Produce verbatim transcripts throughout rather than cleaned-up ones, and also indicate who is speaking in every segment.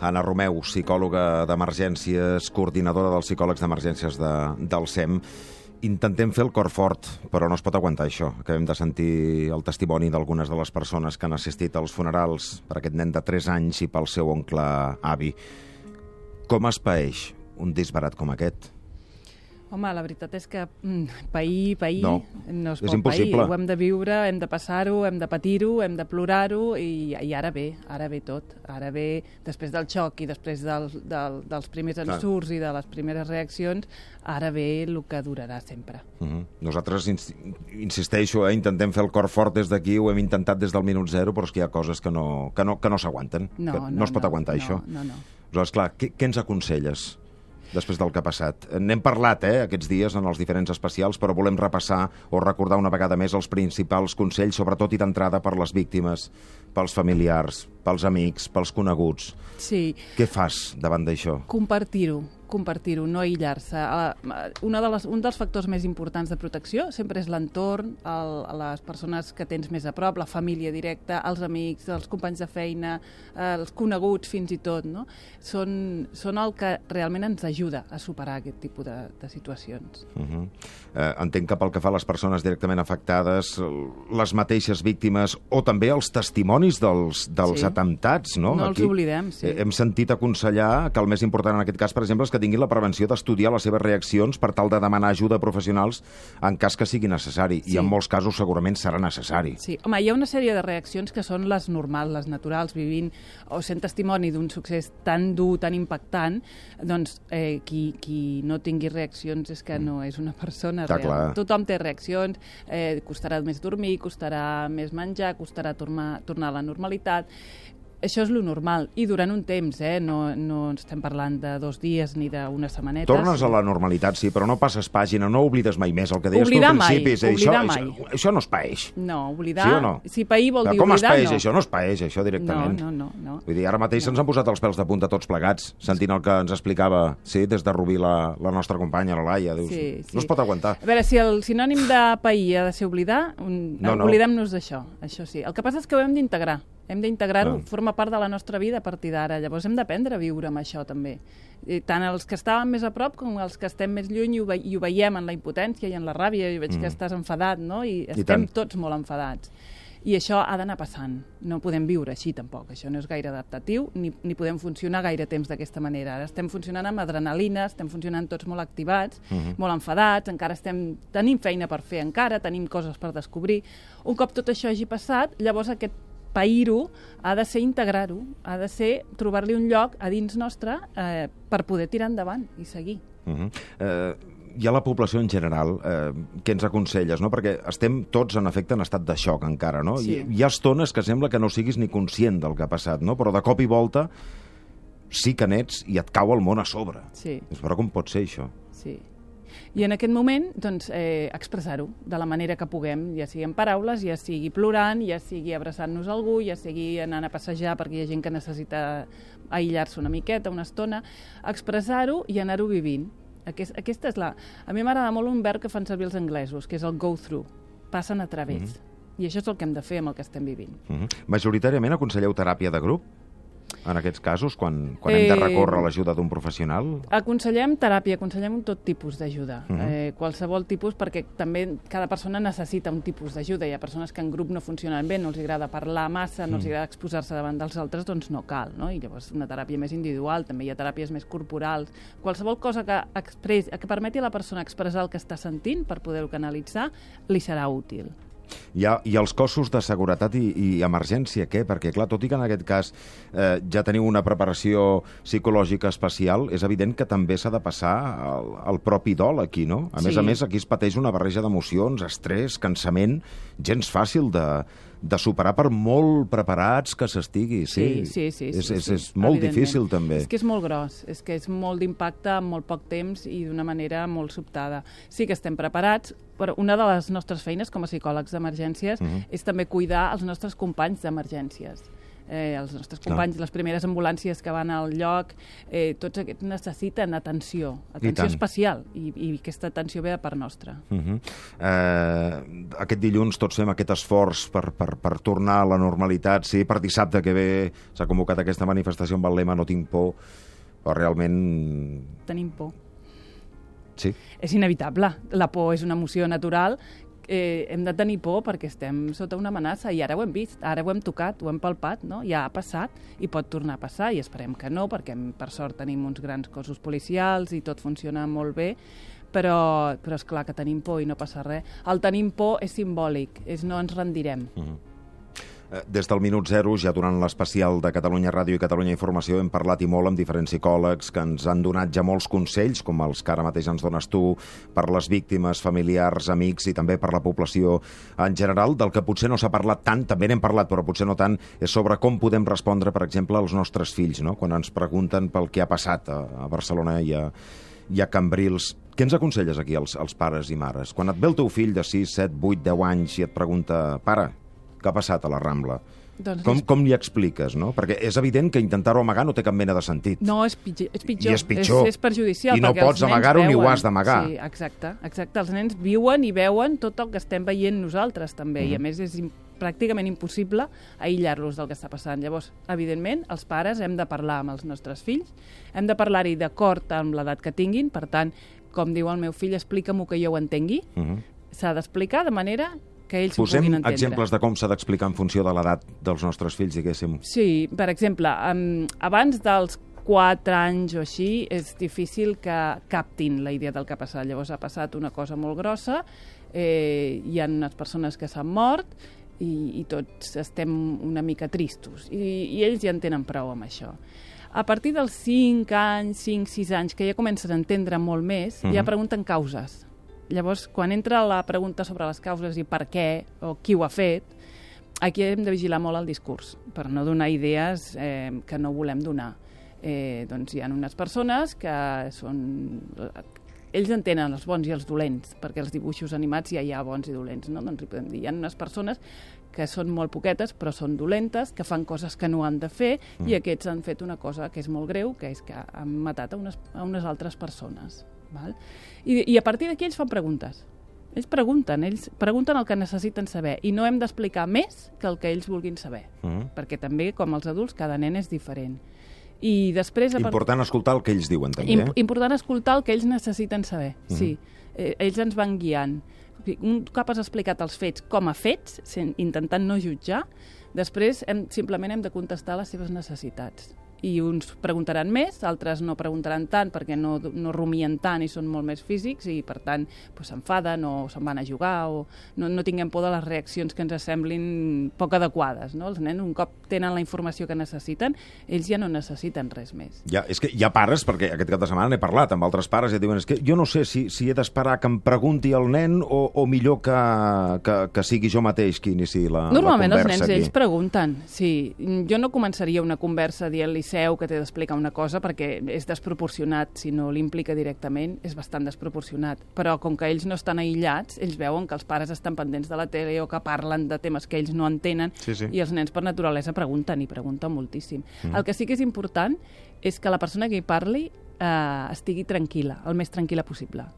Speaker 1: Anna Romeu, psicòloga d'emergències, coordinadora dels psicòlegs d'emergències de, del S E M. Intentem fer el cor fort, però no es pot aguantar això. Acabem de sentir el testimoni d'algunes de les persones que han assistit als funerals per aquest nen de tres anys i pel seu oncle avi. Com es paeix un disbarat com aquest?
Speaker 2: Home, la veritat és que mm, pair, pair,
Speaker 1: no,
Speaker 2: no es
Speaker 1: és
Speaker 2: pot
Speaker 1: impossible.
Speaker 2: pair. Ho hem de viure, hem de passar-ho, hem de patir-ho, hem de plorar-ho i, i ara ve, ara ve tot. Ara ve, després del xoc i després del, del, dels primers ensurts i de les primeres reaccions, ara ve el que durarà sempre.
Speaker 1: Uh -huh. Nosaltres, ins insisteixo, eh, intentem fer el cor fort des d'aquí, ho hem intentat des del minut zero, però és que hi ha coses que no, que no, que no s'aguanten.
Speaker 2: No,
Speaker 1: no,
Speaker 2: no,
Speaker 1: no es pot
Speaker 2: no,
Speaker 1: aguantar,
Speaker 2: no,
Speaker 1: això.
Speaker 2: No, no.
Speaker 1: Però, esclar, què, què ens aconselles després del que ha passat? N'hem parlat eh, aquests dies en els diferents especials, però volem repassar o recordar una vegada més els principals consells, sobretot i d'entrada per les víctimes, pels familiars, pels amics, pels coneguts.
Speaker 2: Sí.
Speaker 1: Què fas davant d'això?
Speaker 2: Compartir-ho, compartir-ho, no aïllar-se. Una de les, un dels factors més importants de protecció sempre és l'entorn, el, les persones que tens més a prop, la família directa, els amics, els companys de feina, els coneguts fins i tot, no? Són, són el que realment ens ajuda a superar aquest tipus de, de situacions.
Speaker 1: Uh -huh. eh, entenc que pel que fa a les persones directament afectades, les mateixes víctimes o també els testimonis dels, dels
Speaker 2: sí.
Speaker 1: atemptats, no?
Speaker 2: No
Speaker 1: Aquí
Speaker 2: els oblidem, sí.
Speaker 1: Hem sentit aconsellar que el més important en aquest cas, per exemple, és que tinguin la prevenció d'estudiar les seves reaccions per tal de demanar ajuda a professionals en cas que sigui necessari.
Speaker 2: Sí.
Speaker 1: I en molts casos segurament serà necessari.
Speaker 2: Sí, home, hi ha una sèrie de reaccions que són les normals, les naturals, vivint o sent testimoni d'un succés tan dur, tan impactant, doncs eh, qui, qui no tingui reaccions és que no és una persona
Speaker 1: Està
Speaker 2: real.
Speaker 1: clar.
Speaker 2: Tothom té reaccions, eh, costarà més dormir, costarà més menjar, costarà tornar, tornar a la normalitat. Això és lo normal, i durant un temps, eh? no, no estem parlant de dos dies ni d'unes setmanetes.
Speaker 1: Tornes a la normalitat, sí, però no passes pàgina, no oblides mai més el que deies
Speaker 2: oblidar
Speaker 1: tu al principi.
Speaker 2: Mai, oblidar
Speaker 1: això,
Speaker 2: mai.
Speaker 1: Això, això no es paeix.
Speaker 2: No, oblidar...
Speaker 1: Sí o no?
Speaker 2: Si pair vol dir
Speaker 1: Com
Speaker 2: oblidar,
Speaker 1: es paeix
Speaker 2: no.
Speaker 1: això? No es paeix, això, directament.
Speaker 2: No, no, no. no.
Speaker 1: Vull dir, ara mateix
Speaker 2: no.
Speaker 1: se'ns han posat els pèls de punta tots plegats, sentint el que ens explicava, sí, des de Rubí la, la nostra companya, la Laia. Dius,
Speaker 2: sí, sí.
Speaker 1: No es pot aguantar.
Speaker 2: A veure, si el sinònim de pair ha de ser oblidar, un...
Speaker 1: no, no.
Speaker 2: oblidem-nos d'això, això sí. El que passa és que ho hem d'integrar. Hem d'integrar-ho,
Speaker 1: Ah.
Speaker 2: forma part de la nostra vida a partir d'ara. Llavors hem d'aprendre a viure amb això, també. I tant els que estàvem més a prop com els que estem més lluny i ho, ve i ho veiem en la impotència i en la ràbia. I veig mm. que estàs enfadat, no? I estem I tots molt enfadats. I això ha d'anar passant. No podem viure així, tampoc. Això no és gaire adaptatiu, ni, ni podem funcionar gaire temps d'aquesta manera. Ara estem funcionant amb adrenalina, estem funcionant tots molt activats, mm-hmm. molt enfadats, encara estem tenim feina per fer encara, tenim coses per descobrir. Un cop tot això hagi passat, llavors aquest pair-ho ha de ser integrar-ho, ha de ser trobar-li un lloc a dins nostre eh, per poder tirar endavant i seguir.
Speaker 1: Uh-huh. eh, hi ha la població en general, eh, què ens aconselles, no? Perquè estem tots, en efecte, en estat de xoc encara, no?
Speaker 2: Sí.
Speaker 1: Hi, hi ha estones que sembla que no siguis ni conscient del que ha passat, no? Però de cop i volta sí que n'ets i et cau el món a sobre.
Speaker 2: Sí.
Speaker 1: Però com pot ser això?
Speaker 2: Sí. I en aquest moment, doncs, eh, expressar-ho de la manera que puguem, ja sigui en paraules, ja sigui plorant, ja sigui abraçant-nos a algú, ja sigui anant a passejar perquè hi ha gent que necessita aïllar-se una miqueta, una estona, expressar-ho i anar-ho vivint. Aquest, aquesta és la... A mi m'agrada molt un verb que fan servir els anglesos, que és el go through, passen a través. Mm-hmm. I això és el que hem de fer amb el que estem vivint.
Speaker 1: Mm-hmm. Majoritàriament aconselleu teràpia de grup? En aquests casos, quan, quan hem de recórrer a l'ajuda d'un professional?
Speaker 2: Aconsellem teràpia, aconsellem tot tipus d'ajuda,
Speaker 1: uh -huh.
Speaker 2: eh, qualsevol tipus, perquè també cada persona necessita un tipus d'ajuda. Hi ha persones que en grup no funcionen bé, no els agrada parlar massa, no els agrada exposar-se davant dels altres, doncs no cal, no? I llavors una teràpia més individual, també hi ha teràpies més corporals. Qualsevol cosa que, express, que permeti a la persona expressar el que està sentint per poder-ho canalitzar, li serà útil.
Speaker 1: I, ha, I els cossos de seguretat i, i emergència, què? Perquè, clar, tot i que en aquest cas eh, ja teniu una preparació psicològica especial, és evident que també s'ha de passar el, el propi dol aquí, no? A
Speaker 2: sí.
Speaker 1: més a més, aquí es pateix una barreja d'emocions, estrès, cansament, gens fàcil de, de superar per molt preparats que s'estigui. Sí,
Speaker 2: sí, sí. sí,
Speaker 1: és,
Speaker 2: sí,
Speaker 1: és,
Speaker 2: sí.
Speaker 1: és molt difícil, també.
Speaker 2: És que és molt gros, és que és molt d'impacte en molt poc temps i d'una manera molt sobtada. Sí que estem preparats, però una de les nostres feines com a psicòlegs d'emergències uh-huh. és també cuidar els nostres companys d'emergències. eh, els nostres companys, no. les primeres ambulàncies que van al lloc, eh, tots aquests necessiten atenció, atenció especial, i, i aquesta atenció ve de part nostra.
Speaker 1: Uh -huh. eh, aquest dilluns tots fem aquest esforç per, per, per tornar a la normalitat, sí, per dissabte que ve s'ha convocat aquesta manifestació amb el lema No tinc por, però realment...
Speaker 2: Tenim por.
Speaker 1: Sí.
Speaker 2: És inevitable. La por és una emoció natural. Eh, hem de tenir por perquè estem sota una amenaça i ara ho hem vist, ara ho hem tocat, ho hem palpat, no? Ja ha passat i pot tornar a passar i esperem que no, perquè per sort tenim uns grans cossos policials i tot funciona molt bé, però, però és clar que tenim por i no passa res. El tenim por és simbòlic, és no ens rendirem.
Speaker 1: Uh-huh. Des del minut zero, ja durant l'especial de Catalunya Ràdio i Catalunya Informació, hem parlat i molt amb diferents psicòlegs que ens han donat ja molts consells, com els que ara mateix ens dones tu, per les víctimes, familiars, amics i també per la població en general. Del que potser no s'ha parlat tant, també n'hem parlat, però potser no tant, és sobre com podem respondre, per exemple, als nostres fills, no? Quan ens pregunten pel que ha passat a Barcelona i a, i a Cambrils. Què ens aconselles aquí als, als pares i mares? Quan et ve el teu fill de sis, set, vuit, deu anys i et pregunta, pare, què ha passat a la Rambla? Doncs com, com li expliques, no? Perquè és evident que intentar-ho amagar no té cap mena de sentit.
Speaker 2: No, és pitjor. És pitjor.
Speaker 1: I és pitjor.
Speaker 2: És, és perjudicial.
Speaker 1: I no pots amagar-ho ni ho has d'amagar.
Speaker 2: Sí, exacte, exacte. Els nens viuen i veuen tot el que estem veient nosaltres, també. Mm-hmm. I, a més, és pràcticament impossible aïllar-los del que està passant. Llavors, evidentment, els pares hem de parlar amb els nostres fills, hem de parlar-hi d'acord amb l'edat que tinguin, per tant, com diu el meu fill, explica-m'ho que jo ho entengui. Mm-hmm. S'ha d'explicar de manera que ells
Speaker 1: Posem
Speaker 2: ho puguin entendre.
Speaker 1: exemples de com s'ha d'explicar en funció de l'edat dels nostres fills, diguéssim.
Speaker 2: Sí, per exemple, um, abans dels quatre anys o així, és difícil que captin la idea del que ha passat. Llavors ha passat una cosa molt grossa, eh, hi ha unes persones que s'han mort i, i tots estem una mica tristos. I, i ells ja en tenen prou amb això. A partir dels cinc anys, cinc, sis anys, que ja comencen a entendre molt més, mm-hmm. ja pregunten causes. Llavors, quan entra la pregunta sobre les causes i per què, o qui ho ha fet, aquí hem de vigilar molt el discurs, per no donar idees eh, que no volem donar. Eh, doncs hi ha unes persones que són... Ells entenen els bons i els dolents, perquè els dibuixos animats ja hi ha bons i dolents, no? Doncs hi podem dir, hi ha unes persones que són molt poquetes, però són dolentes, que fan coses que no han de fer, mm. i aquests han fet una cosa que és molt greu, que és que han matat a unes, a unes altres persones. Val? I, I a partir d'aquí ells fan preguntes. Ells pregunten, ells pregunten el que necessiten saber i no hem d'explicar més que el que ells vulguin saber, mm. perquè també, com els adults, cada nen és diferent. I després...
Speaker 1: Important escoltar el que ells diuen, també.
Speaker 2: Imp important escoltar el que ells necessiten saber, mm. sí. Eh, ells ens van guiant. Un cop has explicat els fets com a fets, intentant no jutjar, després hem, simplement hem de contestar les seves necessitats. I uns preguntaran més, altres no preguntaran tant perquè no, no rumien tant i són molt més físics i, per tant, s'enfaden o se'n van a jugar o no, no tinguem por de les reaccions que ens semblin poc adequades. No? Els nens, un cop tenen la informació que necessiten, ells ja no necessiten res més.
Speaker 1: Ja, és que hi ha pares, perquè aquest cap de setmana n'he parlat amb altres pares i et diuen és que jo no sé si, si he d'esperar que em pregunti el nen o, o millor que, que, que sigui jo mateix qui inici la,
Speaker 2: Normalment
Speaker 1: la conversa.
Speaker 2: Normalment els nens,
Speaker 1: aquí.
Speaker 2: ells pregunten. Sí, jo no començaria una conversa dient-li seu que t'he d'explicar una cosa perquè és desproporcionat, si no l'implica directament, és bastant desproporcionat. Però com que ells no estan aïllats, ells veuen que els pares estan pendents de la tele o que parlen de temes que ells no entenen
Speaker 1: sí, sí.
Speaker 2: i els nens per naturalesa pregunten i pregunten moltíssim. Mm. El que sí que és important és que la persona que hi parli eh, estigui tranquil·la, el més tranquil·la possible.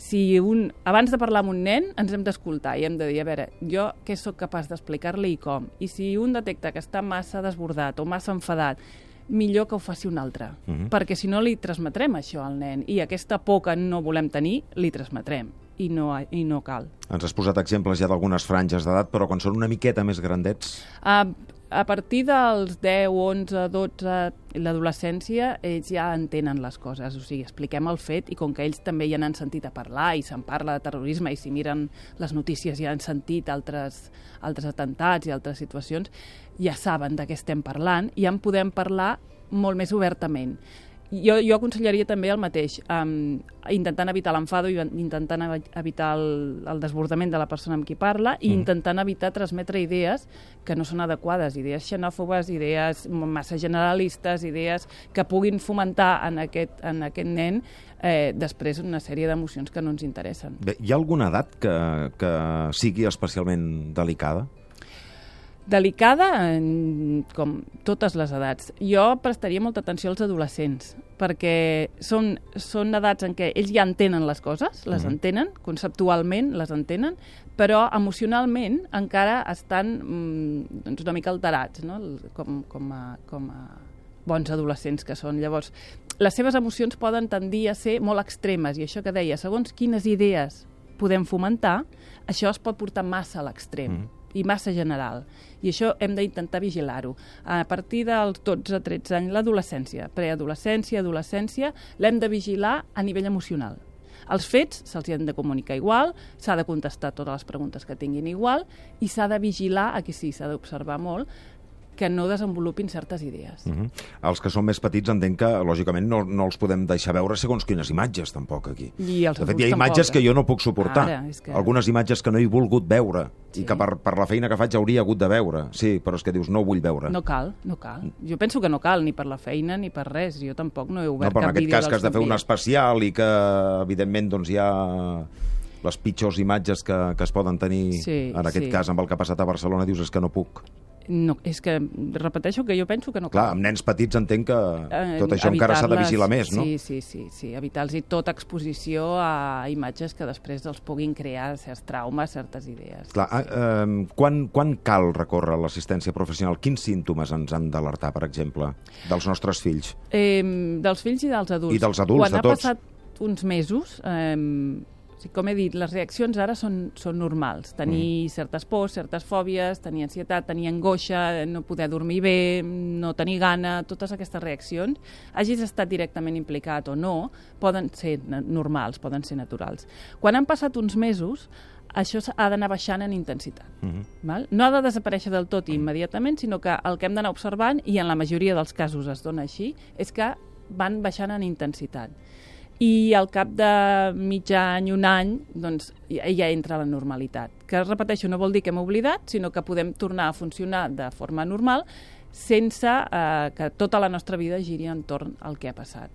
Speaker 2: Si un, abans de parlar amb un nen ens hem d'escoltar i hem de dir, a veure, jo què sóc capaç d'explicar-li i com? I si un detecta que està massa desbordat o massa enfadat, millor que ho faci un altre, uh-huh. perquè si no li transmetrem això al nen i aquesta por que no volem tenir, li transmetrem i no, i no cal.
Speaker 1: Ens has posat exemples ja d'algunes franges d'edat, però quan són una miqueta més grandets?
Speaker 2: Uh, a partir dels deu, onze, dotze, l'adolescència, ells ja entenen les coses, o sigui, expliquem el fet i com que ells també ja n'han sentit a parlar i se'n parla de terrorisme i si miren les notícies ja han sentit altres, altres atentats i altres situacions, ja saben de què estem parlant i en podem parlar molt més obertament. Jo, jo aconsellaria també el mateix, um, intentant evitar l'enfado i intentant evitar el, el desbordament de la persona amb qui parla i mm. intentant evitar transmetre idees que no són adequades, idees xenòfobes, idees massa generalistes, idees que puguin fomentar en aquest, en aquest nen eh, després una sèrie d'emocions que no ens interessen.
Speaker 1: Bé, hi ha alguna edat que, que sigui especialment delicada?
Speaker 2: Delicada, com totes les edats. Jo prestaria molta atenció als adolescents, perquè són, són edats en què ells ja entenen les coses, les mm-hmm. entenen, conceptualment les entenen, però emocionalment encara estan mm, doncs una mica alterats, no? com, com, a, com a bons adolescents que són. Llavors, les seves emocions poden tendir a ser molt extremes, i això que deia, segons quines idees podem fomentar, això es pot portar massa a l'extrem. Mm. i massa general. I això hem d'intentar vigilar-ho. A partir dels dotze a tretze anys, l'adolescència, preadolescència, adolescència, l'hem de vigilar a nivell emocional. Els fets se'ls han de comunicar igual, s'ha de contestar totes les preguntes que tinguin igual i s'ha de vigilar, aquí sí, s'ha d'observar molt, que no desenvolupin certes idees.
Speaker 1: Uh-huh. Els que són més petits entenc que, lògicament, no, no els podem deixar veure segons quines imatges, tampoc, aquí.
Speaker 2: I els
Speaker 1: de fet, hi ha imatges
Speaker 2: tampoc,
Speaker 1: que jo no puc suportar. Ara, que... Algunes imatges que no he volgut veure sí. i que per, per la feina que faig hauria hagut de veure. Sí, però és que dius, no ho vull veure.
Speaker 2: No cal, no cal. Jo penso que no cal, ni per la feina ni per res. Jo tampoc no he obert
Speaker 1: no,
Speaker 2: cap vídeo dels
Speaker 1: No, però en aquest cas que has de fer un especial i que, evidentment, doncs hi ha les pitjors imatges que, que es poden tenir, sí, en aquest sí. cas, amb el que ha passat a Barcelona, dius, és que no puc.
Speaker 2: No, és que repeteixo que jo penso que no cal.
Speaker 1: Clar, amb nens petits entenc que tot això encara s'ha de vigilar més, no?
Speaker 2: Sí, sí, sí, sí. evitar-los tota exposició a imatges que després els puguin crear certs traumes, certes idees.
Speaker 1: Clar, sí. eh, quan, quan cal recórrer l'assistència professional? Quins símptomes ens han d'alertar, per exemple, dels nostres fills?
Speaker 2: Eh, dels fills i dels adults.
Speaker 1: I dels adults,
Speaker 2: Quan
Speaker 1: de tots.
Speaker 2: Quan ha passat uns mesos... Eh, com he dit, les reaccions ara són, són normals. Tenir mm. certes pors, certes fòbies, tenir ansietat, tenir angoixa, no poder dormir bé, no tenir gana, totes aquestes reaccions, hagis estat directament implicat o no, poden ser normals, poden ser naturals. Quan han passat uns mesos, això ha d'anar baixant en intensitat. Mm-hmm. Val? No ha de desaparèixer del tot immediatament, sinó que el que hem d'anar observant, i en la majoria dels casos es dona així, és que van baixant en intensitat. I al cap de mig any, un any, doncs ja entra la normalitat. Que, repeteixo, no vol dir que hem oblidat, sinó que podem tornar a funcionar de forma normal sense eh, que tota la nostra vida giri entorn al que ha passat.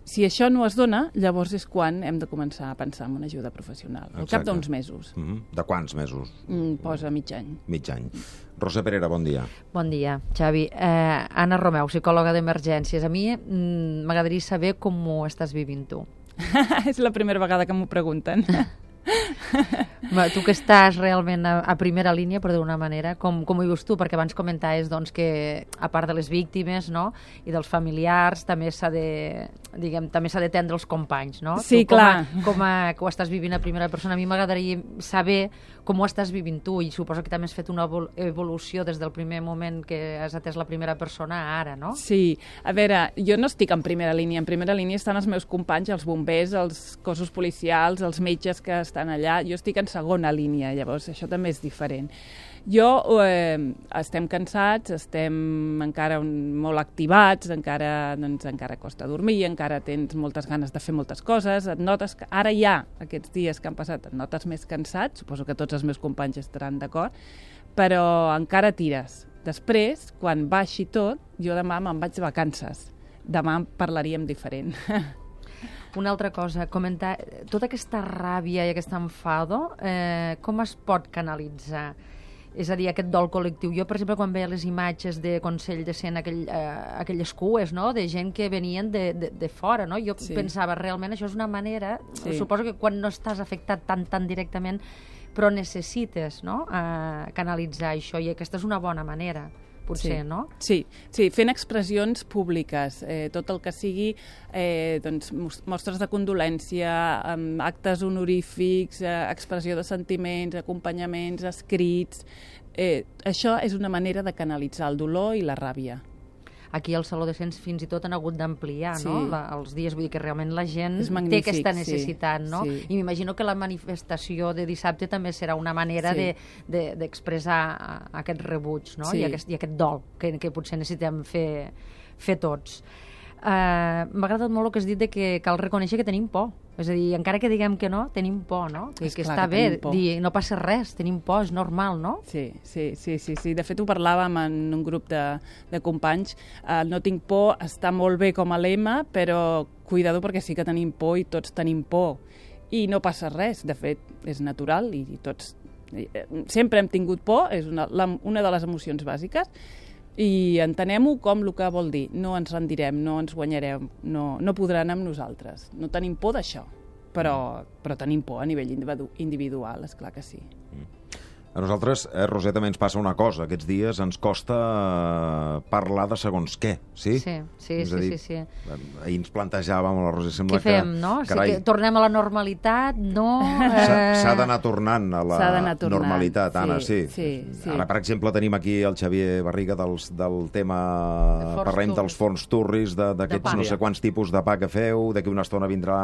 Speaker 2: Si això no es dona, llavors és quan hem de començar a pensar en una ajuda professional. Al cap d'uns mesos.
Speaker 1: Mm-hmm. De quants mesos?
Speaker 2: Mm, posa mig any.
Speaker 1: Mig any. Rosa Perera, bon dia.
Speaker 3: Bon dia, Xavi. Eh, Anna Romeu, psicòloga d'emergències. A mi mm, m'agradaria saber com ho estàs vivint tu.
Speaker 2: És la primera vegada que m'ho pregunten.
Speaker 3: Tu que estàs realment a, a primera línia, per d'una manera, com, com ho vius tu? Perquè abans comentaves doncs, que, a part de les víctimes, no?, i dels familiars, també s'ha de, diguem, també s'ha d'atendre els companys, no?
Speaker 2: Sí,
Speaker 3: tu,
Speaker 2: clar.
Speaker 3: Com, a, com a, que ho estàs vivint a primera persona, a mi m'agradaria saber com ho estàs vivint tu, i suposo que també has fet una evolució des del primer moment que has atès la primera persona a ara, no?
Speaker 2: Sí. A veure, jo no estic en primera línia. En primera línia estan els meus companys, els bombers, els cossos policials, els metges que estan allà. Jo estic en segona línia, llavors això també és diferent. Jo, eh, estem cansats, estem encara un, molt activats, encara, doncs, encara costa dormir, encara tens moltes ganes de fer moltes coses, et notes que ara ja, aquests dies que han passat, et notes més cansat, suposo que tots els meus companys estaran d'acord, però encara tires. Després, quan baixi tot, jo demà me'n vaig de vacances. Demà en parlaríem diferent.
Speaker 3: Una altra cosa, comentar, tota aquesta ràbia i aquest enfado, eh, com es pot canalitzar? És a dir, aquest dol col·lectiu. Jo, per exemple, quan veia les imatges de Consell de Cent, aquell, eh, aquelles cues, no?, de gent que venien de, de, de fora, no? Jo sí. pensava, realment, això és una manera, sí. suposo que quan no estàs afectat tan, tan directament, però necessites, no?, eh, canalitzar això, i aquesta és una bona manera. Potser,
Speaker 2: sí.
Speaker 3: no?
Speaker 2: Sí, sí, fent expressions públiques, eh, tot el que sigui eh, doncs, mostres de condolència, eh, actes honorífics, eh, expressió de sentiments, acompanyaments, escrits... Eh, això és una manera de canalitzar el dolor i la ràbia.
Speaker 3: Aquí al Saló de Cents fins i tot han hagut d'ampliar, sí. no?, la, els dies, vull dir que realment la gent té aquesta necessitat, sí, no? Sí. I m'imagino que la manifestació de dissabte també serà una manera sí. d'expressar de, de, aquest rebuig, no?, sí. I, aquest, i aquest dol que, que potser necessitem fer, fer tots. Uh, M'ha agradat molt el que has dit de que cal reconèixer que tenim por. És a dir, encara que diguem que no, tenim por, no? Que, que està bé dir, no passa res, tenim por, és normal, no?
Speaker 2: Sí, sí, sí, sí, sí. De fet, ho parlàvem en un grup de, de companys. Uh, no tinc por, està molt bé com a lema, però cuidado perquè sí que tenim por i tots tenim por. I no passa res, de fet, és natural i tots Sempre hem tingut por, és una, la, una de les emocions bàsiques, i entenem-ho com el que vol dir. No ens rendirem, no ens guanyarem, no, no podran amb nosaltres. No tenim por d'això, però, però tenim por a nivell individual, és clar que sí.
Speaker 1: Mm. A nosaltres, eh, Roser, també ens passa una cosa. Aquests dies ens costa eh, parlar de segons què, sí?
Speaker 3: Sí, sí, sí,
Speaker 1: dir,
Speaker 3: sí, sí.
Speaker 1: Ahir ens plantejàvem, la Roser, sembla
Speaker 3: que... Què fem,
Speaker 1: que,
Speaker 3: no?
Speaker 1: Carai,
Speaker 3: sí que tornem a la normalitat, no?
Speaker 1: S'ha d'anar tornant a la tornant. normalitat,
Speaker 2: sí,
Speaker 1: Anna, sí.
Speaker 2: sí, sí.
Speaker 1: Ara, per exemple, tenim aquí el Xavier Barriga dels, del tema...
Speaker 3: De
Speaker 1: Parlem
Speaker 3: turris.
Speaker 1: dels forns turris, d'aquests no sé quants tipus de pa que feu, d'aquí una estona vindrà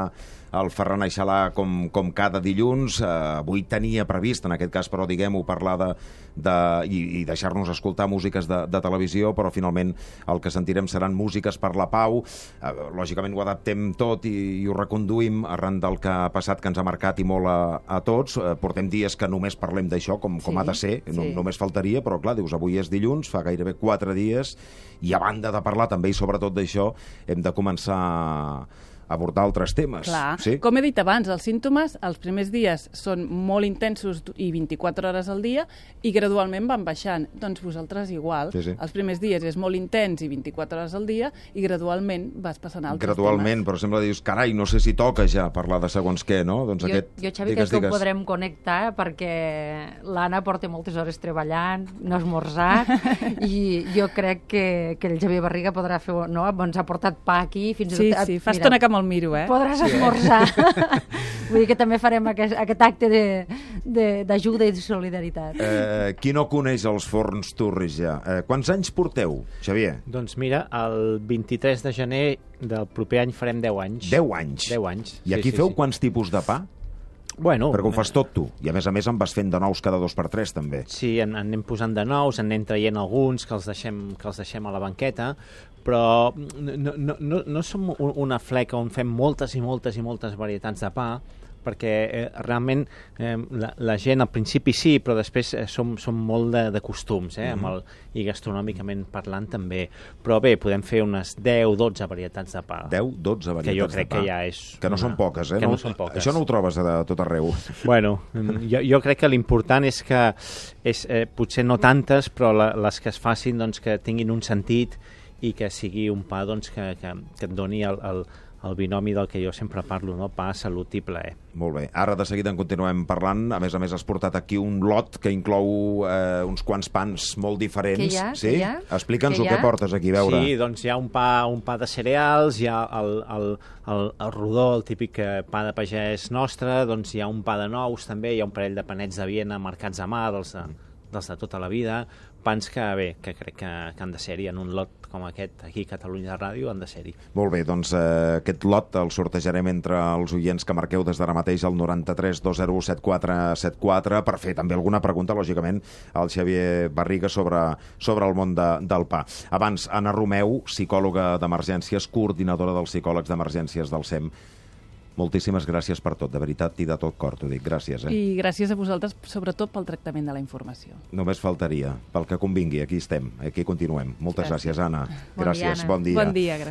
Speaker 1: el Ferran Aixalà com, com cada dilluns. Uh, avui tenia previst, en aquest cas, però diguem-ho, parlar de De, i, i deixar-nos escoltar músiques de, de televisió, però finalment el que sentirem seran músiques per la pau. Eh, lògicament ho adaptem tot i, i ho reconduïm arran del que ha passat, que ens ha marcat i molt a, a tots. Eh, portem dies que només parlem d'això, com, com
Speaker 2: sí,
Speaker 1: ha de ser, no,
Speaker 2: sí.
Speaker 1: només faltaria, però clar, dius, avui és dilluns, fa gairebé quatre dies, i a banda de parlar també i sobretot d'això, hem de començar a abordar altres temes.
Speaker 2: Clar.
Speaker 1: Sí?
Speaker 2: Com he dit abans, els símptomes els primers dies són molt intensos i vint-i-quatre hores al dia i gradualment van baixant. Doncs vosaltres igual.
Speaker 1: Sí, sí.
Speaker 2: Els primers dies és molt intens i vint-i-quatre hores al dia i gradualment vas passant altres
Speaker 1: gradualment,
Speaker 2: temes.
Speaker 1: però sembla que dius, carai, no sé si toca ja parlar de segons què, no? Doncs
Speaker 3: jo,
Speaker 1: aquest...
Speaker 3: jo, Xavi,
Speaker 1: digues,
Speaker 3: crec que
Speaker 1: digues.
Speaker 3: ho podrem connectar perquè l'Anna porta moltes hores treballant, no ha esmorzat, i jo crec que, que el Xavier Barriga podrà fer... No? Ens ha portat pa aquí, fins
Speaker 2: sí,
Speaker 3: i tot...
Speaker 2: Sí, fa estona que me'l miro, eh?
Speaker 3: Podràs esmorzar. Vull dir que també farem aquest, aquest acte d'ajuda i de solidaritat.
Speaker 1: Eh, qui no coneix els forns turris ja? Eh, quants anys porteu, Xavier?
Speaker 4: Doncs mira, el vint-i-tres de gener del proper any farem deu anys.
Speaker 1: deu anys?
Speaker 4: deu anys.
Speaker 1: I aquí
Speaker 4: sí,
Speaker 1: feu
Speaker 4: sí, sí.
Speaker 1: quants tipus de pa?
Speaker 4: Bueno,
Speaker 1: perquè ho fas tot tu. I a més a més en vas fent de nous cada dos per tres, també.
Speaker 4: Sí, en, en anem posant de nous, en anem traient alguns que els deixem, que els deixem a la banqueta, però no, no, no, no som una fleca on fem moltes i moltes i moltes varietats de pa, perquè eh, realment eh, la, la gent al principi sí, però després eh, som, som molt de, de costums, eh, amb el, i gastronòmicament parlant també. Però bé, podem fer unes deu dotze varietats de pa.
Speaker 1: deu dotze varietats de pa.
Speaker 4: Que jo crec que ja és...
Speaker 1: Que no
Speaker 4: una...
Speaker 1: són poques, eh?
Speaker 4: Que
Speaker 1: no,
Speaker 4: no són poques.
Speaker 1: Això no ho trobes a tot arreu.
Speaker 4: Bueno, jo, jo crec que l'important és que és, eh, potser no tantes, però la, les que es facin doncs, que tinguin un sentit i que sigui un pa doncs, que, que, que et doni el, el, el binomi del que jo sempre parlo, no? Pa, salut i plaer.
Speaker 1: Molt bé. Ara de seguida en continuem parlant. A més a més has portat aquí un lot que inclou eh, uns quants pans molt diferents.
Speaker 3: Que hi ha?
Speaker 1: Sí?
Speaker 3: Que hi ha?
Speaker 1: Explica'ns
Speaker 3: Que
Speaker 1: el
Speaker 3: hi ha?
Speaker 1: que portes aquí, a veure.
Speaker 4: Sí, doncs hi ha un pa, un pa de cereals, hi ha el, el, el, el rodó, el típic pa de pagès nostre, doncs hi ha un pa de nous també, hi ha un parell de panets de Viena marcats a mà, dels de, dels de tota la vida, pans que, bé, que crec que, que han de ser-hi en un lot com aquest, aquí a Catalunya Ràdio, han de ser-hi.
Speaker 1: Molt bé, doncs eh, aquest lot el sortejarem entre els oients que marqueu des d'ara mateix al noranta-tres dos zero u set quatre set quatre per fer també alguna pregunta, lògicament, al Xavier Barriga sobre, sobre el món de, del pa. Abans, Anna Romeu, psicòloga d'emergències, coordinadora dels psicòlegs d'emergències del SEM. Moltíssimes gràcies per tot, de veritat i de tot cor, t'ho dic. Gràcies, eh?
Speaker 2: I gràcies a vosaltres, sobretot pel tractament de la informació.
Speaker 1: Només faltaria. Pel que convingui, aquí estem, aquí continuem. Moltes gràcies, gràcies Anna.
Speaker 3: Bon
Speaker 1: gràcies,
Speaker 3: dia, Anna.
Speaker 1: bon dia.
Speaker 2: Bon dia, gràcies.